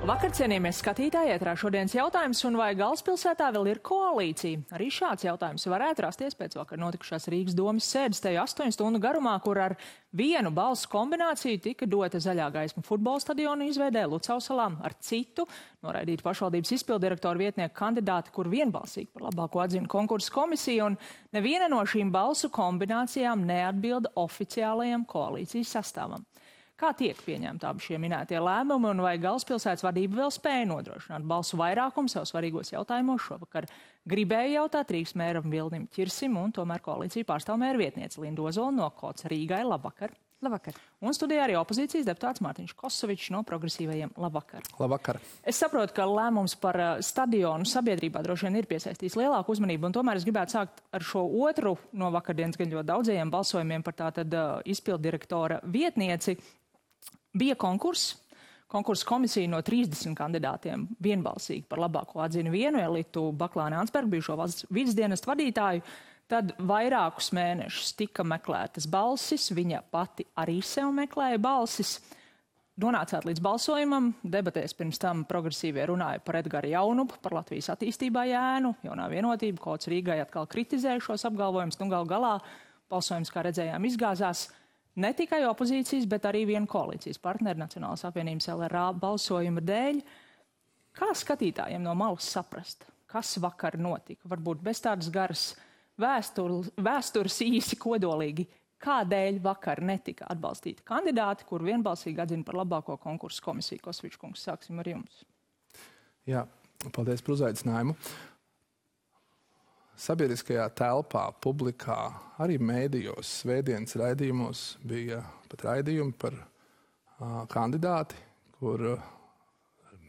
Vakar, cienījamies skatītāji, ētrā šodienas jautājums, un vai galvaspilsētā vēl ir koalīcija? Arī šāds jautājums varētu rasties pēc vakar notikušās Rīgas domas sēdes te 8 stundu garumā, kur ar vienu balsu kombināciju tika dota zaļā gaisma futbola stadionu izveidē Lucavsalā, ar citu noraidīt pašvaldības izpildirektoru vietnieku kandidāti, kur vienbalsīgi par labāko atzina konkursu komisiju, un neviena no šīm balsu kombinācijām neatbilda oficiālajam koalīcijas sastāvam. Kā tiek pieņemti abi šie minētie lēmumi, un vai galvaspilsētas vadība vēl spēja nodrošināt balsu vairākumu sev svarīgos jautājumos? Šovakar gribēja jautāt Rīgas mēram Vilnim Ķirsim, un tomēr koalīciju pārstāv mēra vietniece Linda Ozola no Kots Rīgai. Labvakar! Labvakar! Un studijā arī opozīcijas deputāts Mārtiņš Kosovičs no Progresīvajiem. Labvakar! Labvakar! Es saprotu, ka lēmums par stadionu sabiedrībā droši vien ir piesaistījis lielāku uzmanību, un tomēr es gribētu sākt ar šo otru no vakardienas gan ļoti daudzajiem balsojumiem par tātad izpildirektora vietnieci. Bija konkurss. Konkursa komisija no 30 kandidātiem vienbalsīgi par labāko atzina vienu Elitu Baklāni Ansbergu, bijušo valsts vidusdienestu vadītāju. Tad vairākus mēnešus tika meklētas balsis, viņa pati arī sev meklēja balsis. Nonācāt līdz balsojumam, debatēs pirms tam progresīvie runāja par Edgara Jaunupu, par Latvijas attīstībā ēnu, jaunā vienotība, Kots Rīgai atkal kritizēja šos apgalvojumus, un gal galā balsojums, kā redzējām, izgāzās. Ne tikai opozīcijas, bet arī viena koalīcijas partneri Nacionālās apvienības LRA balsojuma dēļ. Kā skatītājiem no malas saprast, kas vakar notika? Varbūt bez tādas garas vēstures īsi kodolīgi. Kādēļ vakar netika atbalstīti kandidāti, kur vienbalsīgi atzina par labāko konkursu komisiju? Kosovičs kungs, sāksim ar jums. Jā, paldies par uzaicinājumu. Sabiedriskajā telpā, publikā, arī mēdījos, svētdienas raidījumos bija pat raidījumi par kandidāti, kur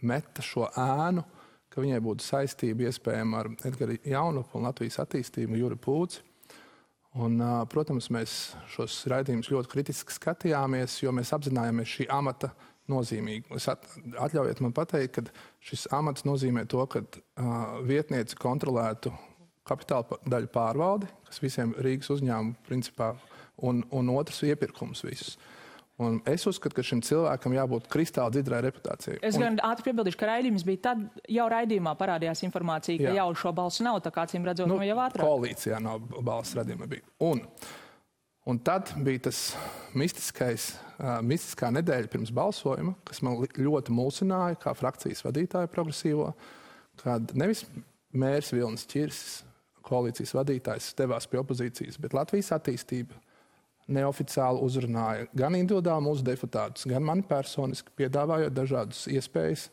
meta šo ēnu, ka viņai būtu saistība iespējama ar Edgaru Jaunupu un Latvijas attīstību, Juri Pūci. Un, protams, mēs šos raidījumus ļoti kritiski skatījāmies, jo mēs apzinājāmies šī amata nozīmīgi. Atļaujiet man pateikt, ka šis amats nozīmē to, ka vietniece kontrolētu kapitāla daļu pārvaldi, kas visiem Rīgas uzņēmumu principā, un otrs iepirkums visus. Un es uzskatu, ka šim cilvēkam jābūt kristāli dzidrai reputācijai. Es gan ātri piebildīšu, ka raidījums bija tad, jau raidījumā parādījās informācija, ka jau šo balsu nav, tā kā acīm redzot, jau ātrāk. Koalīcijā nav balsu raidījuma bija. Un tad bija tas mistiskā nedēļa pirms balsojuma, kas man ļoti mulsināja kā frakcijas vadītāju progresīvo, kad nevis mērs Vilnis Ķirsis, koalīcijas vadītājs, devās pie opozīcijas, bet Latvijas attīstība neoficiāli uzrunāja gan individuāli mūsu deputātus, gan mani personiski, piedāvājot dažādas iespējas,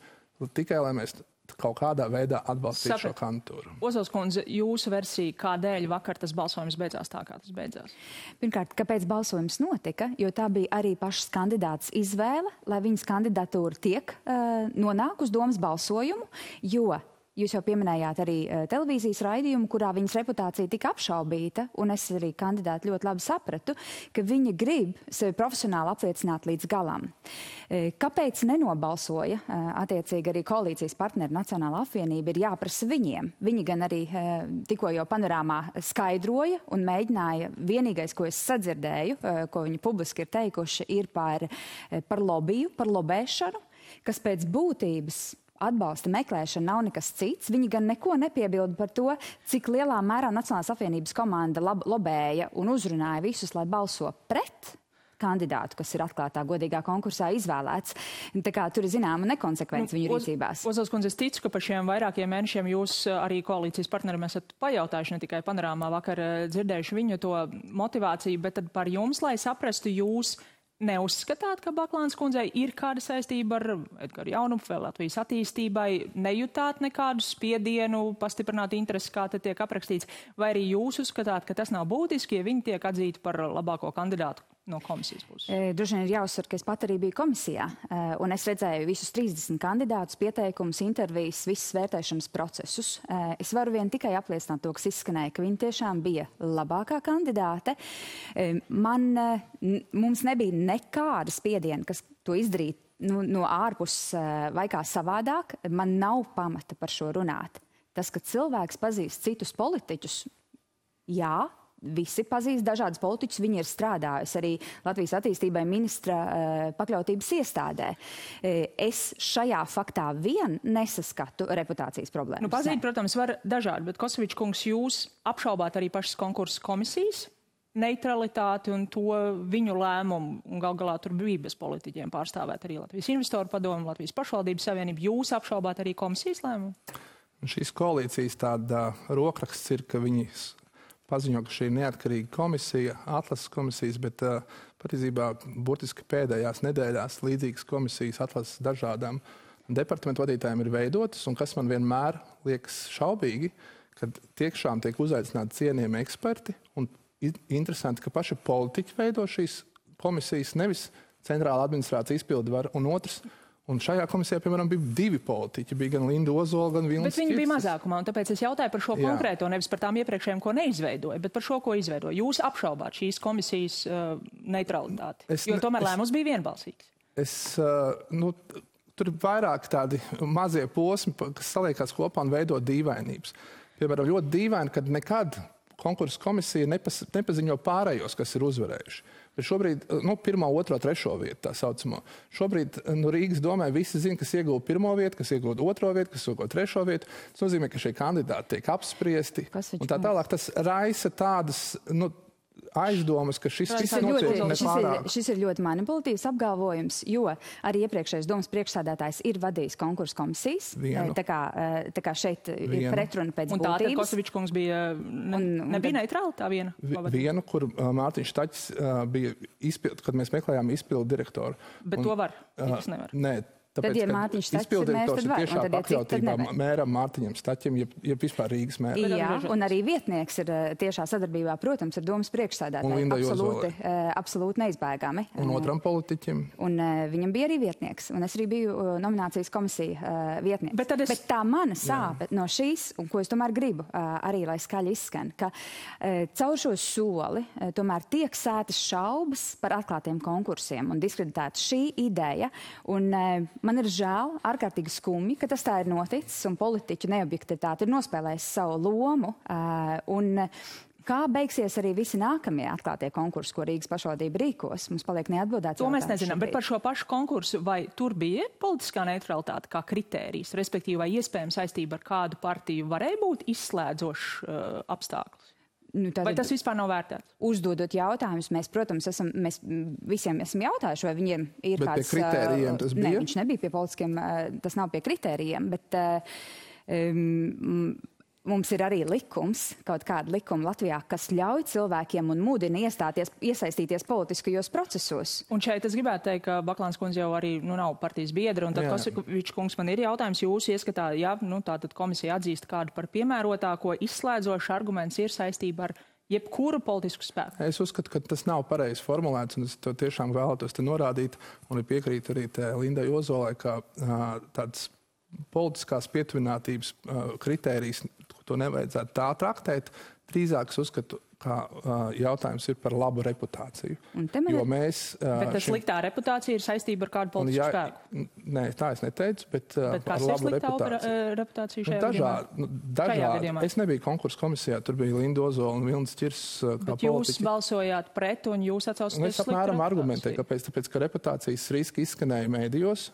tikai lai mēs kaut kādā veidā atbalstītu šo kandidatūru. Ozols kundze, jūsu versija, kādēļ vakar tas balsojums beidzās tā, kā tas beidzās? Pirmkārt, kāpēc balsojums notika, jo tā bija arī pašas kandidātas izvēle, lai viņas kandidatūra tiek nonāk uz domas balsojumu, jo jūs jau pieminējāt arī televīzijas raidījumu, kurā viņas reputācija tika apšaubīta, un es arī kandidāti ļoti labi sapratu, ka viņa grib sevi profesionāli apliecināt līdz galam. Kāpēc nenobalsoja attiecīgi arī koalīcijas partneri Nacionālā apvienība, ir jāprasa viņiem. Viņi gan arī tikko jau panorāmā skaidroja un mēģināja, vienīgais, ko es sadzirdēju, ko viņi publiski ir teikuši, ir par lobiju, par lobēšanu, kas pēc būtības atbalsta meklēšana nav nekas cits. Viņi gan neko nepiebilda par to, cik lielā mērā Nacionālās apvienības komanda lobēja un uzrunāja visus, lai balso pret kandidātu, kas ir atklātā godīgā konkursā izvēlēts. Tā kā tur ir zināma nekonsekvence viņu rīcībās. Ozols kundze, es ticu, ka par šiem vairākiem mēnešiem jūs arī koalīcijas partneriem esat pajautājuši, ne tikai panorāmā vakar dzirdējuši viņu to motivāciju, bet tad par jums, lai saprastu, jūs neuzskatāt, ka Baklānes kundzei ir kāda saistība ar Edgaru Jaunupu vai Latvijas attīstībai, nejutāt nekādu spiedienu, pastiprināt interesi, kā te tiek aprakstīts, vai arī jūs uzskatāt, ka tas nav būtiski, ja viņi tiek atzīti par labāko kandidātu no komisijas puses? Droši vien ir jāuzsver, ka es pat arī biju komisijā, un es redzēju visus 30 kandidātus, pieteikumus, intervijas, visas vērtēšanas procesus. Es varu vien tikai apliecināt to, kas izskanēja, ka viņa tiešām bija labākā kandidāte. Mums nebija nekāda spiediena, kas to izdarīt no ārpuses vai kā savādāk. Man nav pamata par šo runāt. Tas, ka cilvēks pazīst citus politiķus, jā, visi pazīst dažādas politiķus, viņi ir strādājusi arī Latvijas attīstībai ministra pakļautības iestādē. Es šajā faktā vien nesaskatu reputācijas problēmas. Pazīt, protams, var dažādi, bet Kosovičs kungs, jūs apšaubāt arī pašas konkursu komisijas neutralitāti un to viņu lēmumu, un gal galā tur bija bez politiķiem pārstāvēt arī Latvijas investoru padomu, Latvijas pašvaldības savienību. Jūs apšaubāt arī komisijas lēmumu? Šīs koalīcijas tāda rokraksts ir, ka viņi paziņo, ka šī ir neatkarīga komisija, atlases komisijas, bet patiesībā burtiski pēdējās nedēļās līdzīgas komisijas atlases dažādām departamentu vadītājiem ir veidotas, un kas man vienmēr liekas šaubīgi, kad tiešām tiek uzaicināti cienījami eksperti, un interesanti, ka paši politiķi veido šīs komisijas, nevis centrāla administrācija izpildvara, un otrs. Un šajā komisijā, piemēram, bija 2 politiķi. Bija gan Linda Ozola, gan Vilnis Bet viņi bija mazākumā, un tāpēc es jautāju par šo konkrēto, nevis par tām iepriekšējām, ko neizveidoja, bet par šo, ko izveidoja. Jūs apšaubāt šīs komisijas neutralitāti, jo tomēr lēmums bija vienbalsīgs. Tur ir vairāk tādi mazie posmi, kas saliekās kopā un veido dīvainības. Piemēram, ļoti dīvaini, kad nekad konkursu komisija nepaziņo pārējos, kas ir uzvarējuši. Bet šobrīd, 1., 2., 3. vietu tā saucamo. Šobrīd Rīgas domē visi zina, kas ieguva 1. vietu, kas ieguva 2. vietu, kas ieguva 3. vietu. Tas nozīmē, ka šie kandidāti tiek apspriesti. Un tā tālāk tas raisa tādas, aizdomas, ka šis viss notiek nepārāk. Šis ir ļoti manipulatīvs apgalvojums, jo arī iepriekšējais domas priekšsēdētājs ir vadījis konkursu komisijas. Tā kā šeit ir pretruna pēc būtības. Un tātad Kosovičs kungs nebija neitrāli tā viena? Vienu, kur Mārtiņš Taķis bija kad mēs meklējām izpildu direktoru. Bet to var? Jūs nevar? Nē. Tāpēc, tad, ja Mārtiņš Taķis ir mēs, tad var. Tiešā pakļautībā mēram Mārtiņam Staķim, ja vispār Rīgas mēram. Jā, un arī vietnieks ir tiešā sadarbībā, protams, ar domas priekšsēdētāju. Absolūti neizbēgami. Un otram politiķim. Un viņam bija arī vietnieks, un es arī biju nominācijas komisija vietnieks. Bet tā mana sāpe no šīs, un ko es tomēr gribu arī, lai skaļi izskan, ka caur šo soli tomēr tiek sētas šaubas par atklātiem konkursiem un diskreditēta šī ideja. Un man ir žēl, ārkārtīgi skumji, ka tas tā ir noticis un politiķu neobjektivitāte ir nospēlējis savu lomu. Un kā beigsies arī visi nākamie atklātie konkursi, ko Rīgas pašvaldība rīkos? Mums paliek neatbildēts. To mēs nezinām, bet par šo pašu konkursu, vai tur bija politiskā neutralitāte kā kritērijs, respektīvi, vai iespējams saistība ar kādu partiju varēja būt izslēdzošs apstākļus? Vai tas vispār nav vērtēts? Uzdodot jautājumus, mēs, protams, mēs visiem esam jautājuši, vai viņiem ir bet kāds... Bet pie kritērijiem tas bija? Nē, viņš nebija pie politiskiem, tas nav pie kritērijiem, bet mums ir arī likums, kaut kāda likuma Latvijā, kas ļauj cilvēkiem un mudina iesaistīties politiskajos procesos. Un šeit es gribētu teikt, ka Baklāns kundze jau arī nav partijas biedra, un tad Kosovičs kungs man ir jautājums, jūs ieskatā, tātad komisija atzīst kādu par piemērotāko, izslēdzošu arguments ir saistība ar jebkuru politisku spēku. Es uzskatu, ka tas nav pareizi formulēts, un es to tiešām vēlētos te norādīt, un piekrītu arī Lindai Ozolai, ka tāds politiskās pietuvinātības kritērijs, to nevajadzētu tā traktēt. Drīzāk es uzskatu, ka jautājums ir par labu reputāciju. Jo mēs... Bet tas sliktā reputācija ir saistība ar kādu politisku spēku? Nē, tā es neteicu, bet ar labu reputāciju šajā gadījumā? Es nebiju konkursu komisijā, tur bija Linda Ozola un Vilnis Čirs kā politiķi. Bet jūs balsojāt pret un jūs atsaucaties sliktu reputāciju? Es apmēram argumentēju, kāpēc, tāpēc, ka reputācijas riski izskanēja mēdījos,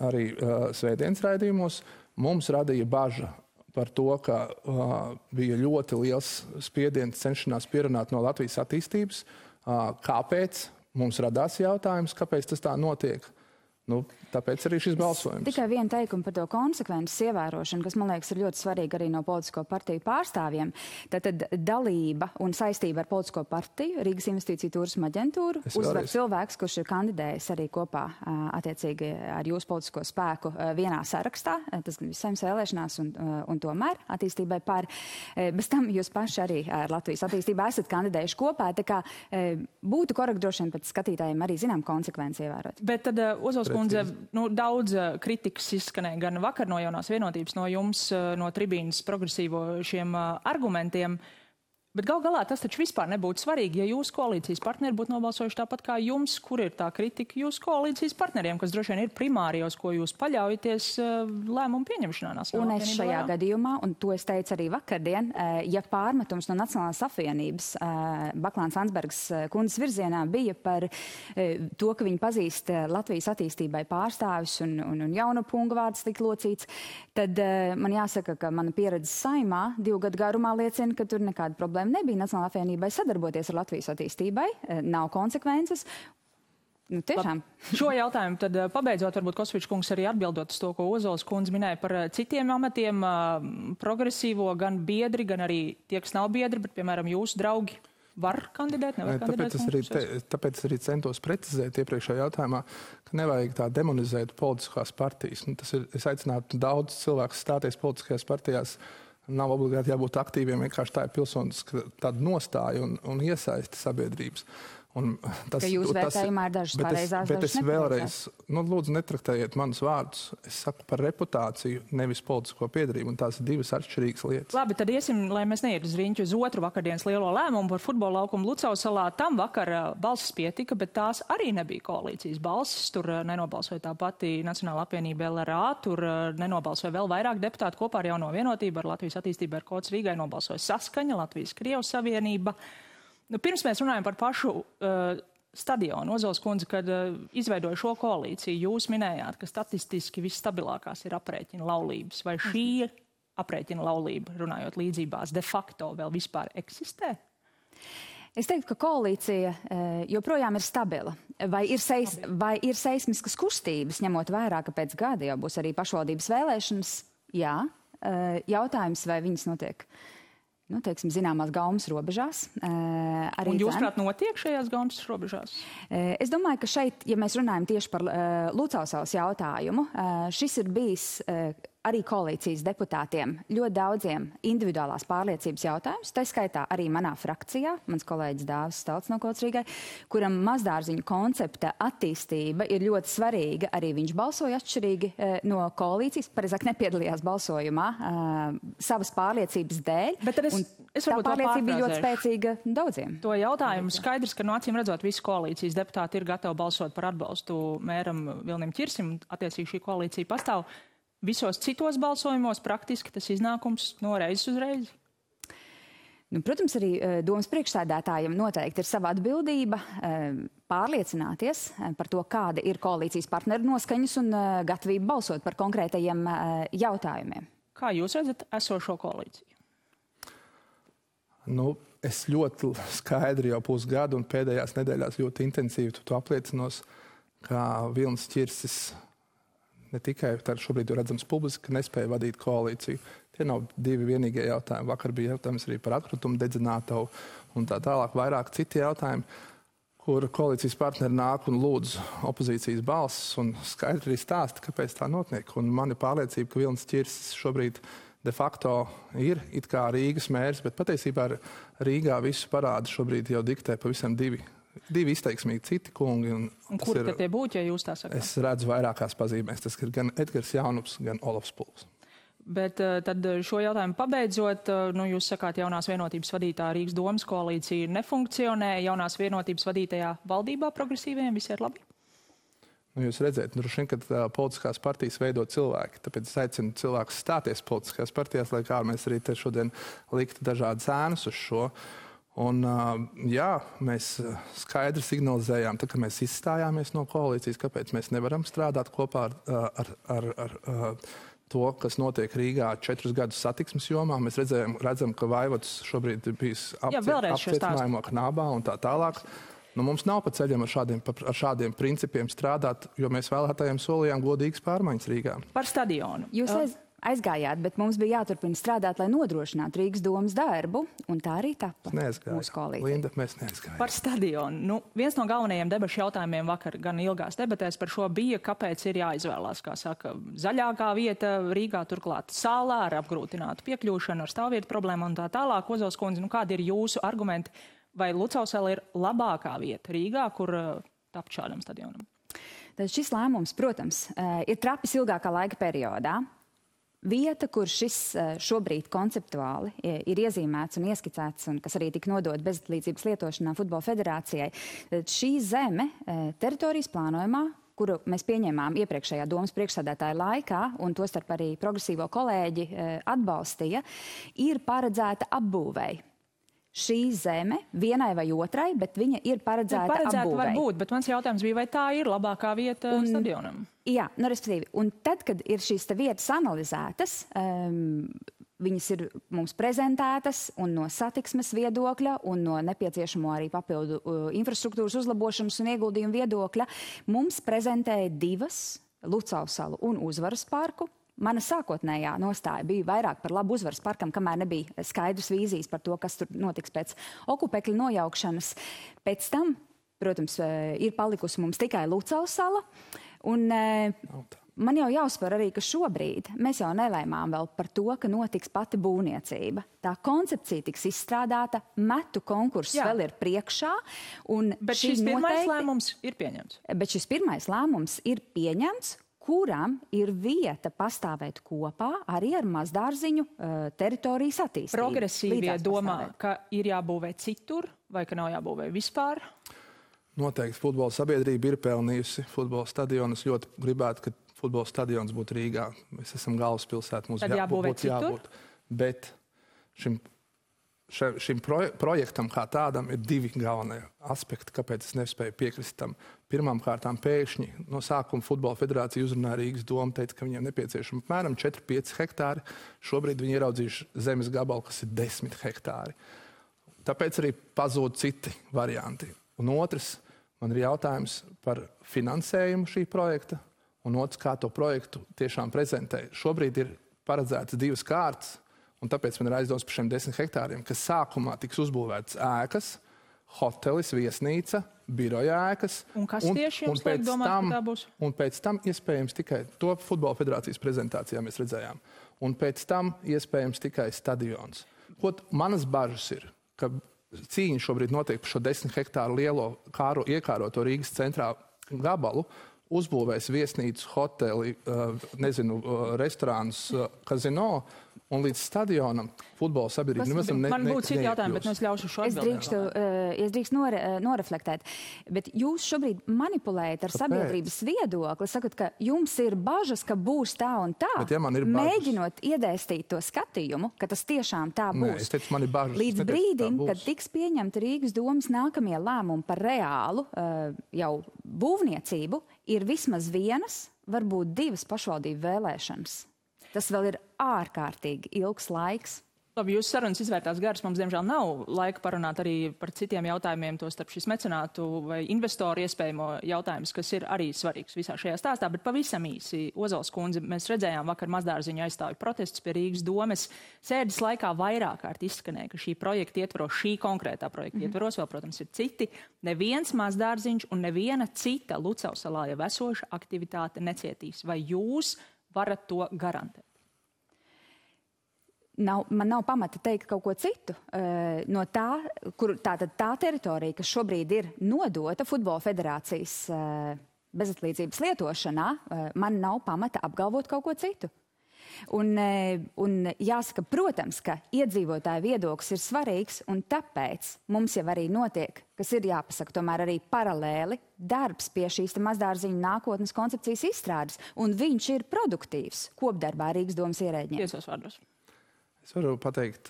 arī svētdienas raidījumos. Mums radīja baža par to, ka bija ļoti liels spiediens cenšanās pierunāt no Latvijas attīstības. Kāpēc? Mums radās jautājums, kāpēc tas tā notiek. Tāpēc arī šis balsojums. Tikai viena teikuma par to konsekvences ievērošanu, kas, man liekas, ir ļoti svarīga arī no politisko partiju pārstāvjiem. Tātad dalība un saistība ar politisko partiju, Rīgas investīciju turisma aģentūru, uzvar cilvēks, kurš ir kandidējis arī kopā attiecīgi ar jūsu politisko spēku vienā sarakstā, tas gan visiem vēlēšanās un tomēr attīstībai par. Bez tam jūs paši arī ar Latvijas attīstībā esat kandidējuši kopā, tā kā būtu korekti droši vien pēc skatītājiem arī zinām konsekvenci ievērot. Bet tad Ozols kundze, daudz kritikas izskanēja gan vakar no Jaunās vienotības, no jums, no tribīnas progresīvo šiem argumentiem. Bet gal galā tas taču vispār nebūtu svarīgi, ja jūsu koalīcijas partneri būtu nobalsojuši tāpat kā jums, kur ir tā kritika jūsu koalīcijas partneriem, kas droši vien ir primārijos, ko jūs paļaujaties lēmumu pieņemšanā. Un es šajā gadījumā, un to es teicu arī vakardien, ja pārmetums no Nacionālās apvienības Baklāns Landsbergs kundzes virzienā bija par to, ka viņi pazīst Latvijas attīstībai pārstāvis un jaunu pungu vārds tik locīts, tad man jāsaka, ka mana pieredze Saimā 2 gadu garumā liecina, ka tur nekāda problēma nebija Nacionālajai apvienībai sadarboties ar Latvijas attīstībai, nav konsekvences. Nu, tiešām. Šo jautājumu tad pabeidzot, varbūt Kosvičs kungs arī atbildot uz to, ko Ozols kundze minēja par citiem amatiem, progresīvo, gan biedri, gan arī tie, kas nav biedri, bet, piemēram, jūsu draugi var kandidēt, nevar kandidēt? Tāpēc arī centos precizēt iepriekšējā jautājumā, ka nevajag tā demonizēt politiskās partijas. Es aicinātu daudz cilvēku stāties politiskajās partijās. Nav obligāti jābūt aktīviem, vienkārši tā ir pilsoniska tāda nostāja un iesaisti sabiedrības. Ka jūs vērtējumā ir dažas pareizās, bet es vēlreiz, lūdzu, netraktējiet manus vārdus. Es saku par reputāciju, nevis politisko piedarību, un tās ir 2 atšķirīgas lietas. Labi, tad iesim, lai mēs neiet uz riņķu uz otru vakardienas lielo lēmumu par futbola laukumu Lucavsalā. Tam vakar balsis pietika, bet tās arī nebija koalīcijas balsis. Tur nenobalsoja tā pati Nacionāla apvienība LRA, tur nenobalsoja vēl vairāk deputāti kopā ar Jauno vienotību, ar Latvijas attīstību, ar Kods Rīgai nobalsoja Saskaņa, Latvijas-Krievijas savienība. Pirms mēs runājam par pašu stadionu, Ozols kundze, kad izveidoja šo koalīciju, jūs minējāt, ka statistiski visstabilākās ir aprēķina laulības. Vai šī aprēķina laulība, runājot līdzībās, de facto vēl vispār eksistē? Es teiktu, ka koalīcija joprojām ir stabila. Vai ir seismiskas kustības, ņemot vērā, ka pēc gada jau būs arī pašvaldības vēlēšanas? Jā. Jautājums, vai viņas notiek teiksim, zināmās gaumas robežās. Un jūs, prāt, notiek šajās gaumas robežās? Es domāju, ka šeit, ja mēs runājam tieši par Lucavsalas jautājumu, šis ir bijis arī koalīcijas deputātiem ļoti daudziem individuālās pārliecības jautājumus, tā skaitā arī manā frakcijā, mans kolēģis Dāvis Stalts no Kods Rīgai, kuram mazdārziņu koncepta attīstība ir ļoti svarīga. Arī viņš balsoja atšķirīgi no koalīcijas, pareizāk nepiedalījās balsojumā savas pārliecības dēļ. Bet tad es tā pārliecība bija ļoti spēcīga daudziem. To jautājumu skaidrs, ka no acīm redzot, visi koalīcijas deputāti ir gatavi balsot par atbalstu mēram Vilnim Ķirsim, attiecīgi šī koalīcija pastāv. Visos citos balsojumos praktiski tas iznākums no reizes uz reizi? Protams, arī domas priekšsēdētājiem noteikti ir sava atbildība pārliecināties par to, kāda ir koalīcijas partneru noskaņas un gatavība balsot par konkrētajiem jautājumiem. Kā jūs redzat esošo koalīciju? Es ļoti skaidri jau pusgadu un pēdējās nedēļās ļoti intensīvi to apliecinos, ka Vilnis Ķirsis ne tikai šobrīd redzams publiski, nespēja vadīt koalīciju. Tie nav 2 vienīgie jautājumi. Vakar bija jautājums arī par atkrutumu dedzinātavu un tā tālāk vairāk citi jautājumi, kur koalīcijas partneri nāk un lūdz opozīcijas balsis un skaidri arī stāsta, kāpēc tā notiek. Un man ir pārliecība, ka Vilnis Ķirsis šobrīd de facto ir it kā Rīgas mērs, bet patiesībā Rīgā visu parādu šobrīd jau diktē pavisam 2 izteiksmīgi citi kungi. Un kur tad tie būtu, ja jūs tā sakāt? Es redzu vairākās pazīmēs. Tas ir gan Edgars Jaunups, gan Olofs Pulks. Bet tad šo jautājumu pabeidzot, jūs sakāt, jaunās vienotības vadītā Rīgas domas koalīcija nefunkcionē. Jaunās vienotības vadītajā valdībā progresīviem visi ir labi? Jūs redzēt, droši vien, kad politiskās partijas veido cilvēki. Tāpēc es aicinu cilvēkus stāties politiskās partijās, lai kā mēs arī te šodien liktu dažādas ēnas uz šo. Un, jā, mēs skaidri signalizējām, ka mēs izstājāmies no koalīcijas, kāpēc mēs nevaram strādāt kopā ar to, kas notiek Rīgā 4 gadus satiksmes jomā. Mēs redzam, ka Vaivods šobrīd ir bijis apcietinājumā Knābā un tā tālāk. Mums nav pa ceļam ar šādiem principiem strādāt, jo mēs vēlētājiem solījām godīgas pārmaiņas Rīgā. Par stadionu. Jūs aizgājāt, bet mums bija jāturpina strādāt, lai nodrošinātu Rīgas domas darbu, un tā arī tapa mūsu koalīcija. Linda, mēs neaizgājām. Par stadionu. Viens no galvenajiem debašu jautājumiem vakar gan ilgās debatēs par šo bija, kāpēc ir jāizvēlās, kā saka, zaļākā vieta Rīgā, turklāt sālā ar apgrūtinātu piekļūšanu, ar stāvvietu problēmu un tā tālāk. Ozols kundze, kādi ir jūsu argumenti? Vai Lucavsala ir labākā vieta Rīgā, kur tapt šādam stadionam? Tad šis lēmums, protams, ir trapis ilgākā laika periodā. vieta, kur šis šobrīd konceptuāli ir iezīmēts un ieskicēts, un kas arī tika nodot bezatlīdzības lietošanā Futbola federācijai, šī zeme teritorijas plānojumā, kuru mēs pieņēmām iepriekšējā domas priekšsēdētāja laikā, un tostarp arī progresīvo kolēģi atbalstīja, ir paredzēta apbūvēji. Šī zeme vienai vai otrai, bet viņa ir paredzēta apbūvēji. Var būt, bet mans jautājums bija, vai tā ir labākā vieta stadionam? Jā, respektīvi. Un tad, kad ir šīs vietas analizētas, viņas ir mums prezentētas un no satiksmes viedokļa un no nepieciešamo arī papildu infrastruktūras uzlabošanas un ieguldījumu viedokļa, mums prezentēja 2 Lucavas salu un Uzvaras parku. Mana sākotnējā nostāja bija vairāk par labu Uzvaras parkam, kamēr nebija skaidrs vīzijas par to, kas tur notiks pēc okupekļa nojaukšanas. Pēc tam, protams, ir palikusi mums tikai Lucavas sala. Un man jau jāuzsver arī, ka šobrīd mēs jau nelēmām vēl par to, ka notiks pati būvniecība. Tā koncepcija tiks izstrādāta, metu konkurss vēl ir priekšā. Bet šis pirmais lēmums ir pieņemts. Bet šis pirmais lēmums ir pieņemts, kuram ir vieta pastāvēt kopā arī ar mazdārziņu teritorijas attīstību. Progresīvie domā, ka ir jābūvē citur vai ka nav jābūvē vispār? Noteikti futbola sabiedrība ir pelnījusi futbola stadionu. Es ļoti gribētu, ka futbola stadions būtu Rīgā. Mēs esam galvaspilsēta, mums būtu jābūt. Bet šim projektam kā tādam ir 2 galvenie aspekti, kāpēc es nespēju piekrist tam. Pirmām kārtām pēkšņi no sākuma Futbola federācija uzrunāja Rīgas domu, teica, ka viņiem nepieciešama apmēram 4-5 hektāri. Šobrīd viņi ieraudzījuši zemes gabalu, kas ir 10 hektāri. Tāpēc arī pazūd citi varianti. Un otrs, man ir jautājums par finansējumu šī projekta, un otrs, kā to projektu tiešām prezentē. Šobrīd ir paredzētas 2 kārtas, un tāpēc man ir aizdoms par šiem 10 hektāriem, kas sākumā tiks uzbūvētas ēkas, hotelis, viesnīca, biroja ēkas. Un kas tieši jums liek domāt, ka tā būs? Un pēc tam iespējams tikai to Futbola federācijas prezentācijā mēs redzējām. Un pēc tam iespējams tikai stadions. Manas bažas ir, ka cīņa šobrīd notiek par šo 10 hektāru lielo iekāroto Rīgas centrā gabalu, uzbūvēs viesnīcu, hoteli, restorānus, kazino, un līdz stadionam futbola sabiedrība. Man būtu citi jautājumi, bet es ļaušu šo atbildēt. Es drīkstu noreflektēt. Bet jūs šobrīd manipulējat ar sabiedrības viedokli, sakot, ka jums ir bažas, ka būs tā un tā, mēģinot iedēstīt to skatījumu, ka tas tiešām tā būs. Nē, es teicu, man ir bažas. Līdz brīdim, kad tiks pieņemta Rīgas domas nākamie lēmumi par reālu jau būvniecību, ir vismaz 1, varbūt 2 pašvaldību vēlēšanas. Tas vēl ir ārkārtīgi ilgs laiks. Labi, jūsu sarunas izvērtās garas. Mums, diemžēl, nav laika parunāt arī par citiem jautājumiem, to starp šis mecenātu vai investoru iespējamo jautājums, kas ir arī svarīgs visā šajā stāstā. Bet pavisam īsi, Ozols kundze, mēs redzējām vakar mazdārziņu aizstāvju protestus pie Rīgas domes. Sēdes laikā vairāk kārt izskanēja, ka šī projekta ietvaros, šī konkrētā projekta ietvaros, vēl, protams, ir citi. Neviens mazdārziņš un neviena cita Lucavas salā jau esoša aktivitāte necietīs. Vai jūs varat to garantēt? Man nav pamata teikt kaut ko citu. No tā teritorija, kas šobrīd ir nodota Futbola federācijas bezatlīdzības lietošanā, man nav pamata apgalvot kaut ko citu. Un jāsaka, protams, ka iedzīvotāju viedoklis ir svarīgs, un tāpēc mums jau arī notiek, kas ir jāpasaka, tomēr arī paralēli darbs pie šīs mazdārziņu nākotnes koncepcijas izstrādes, un viņš ir produktīvs kopdarbā Rīgas domas ierēģiem. Tiesos vārdos. Es varu pateikt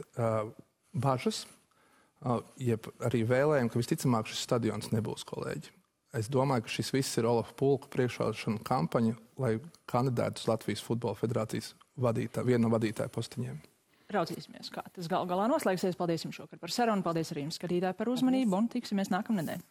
bažas, jeb arī vēlējumu, ka visticamāk šis stadions nebūs, kolēģi. Es domāju, ka šis viss ir Olafa Pulka priekšvēlēšanu kampaņa, lai kandidētu uz Latvijas Futbola federācijas vienu no vadītāju postiņiem. Raudzīsimies, kā tas galā noslēgsies. Paldies jums šokar par sarunu, paldies arī jums, skatītāji, par uzmanību, un tiksimies nākamnedēļ.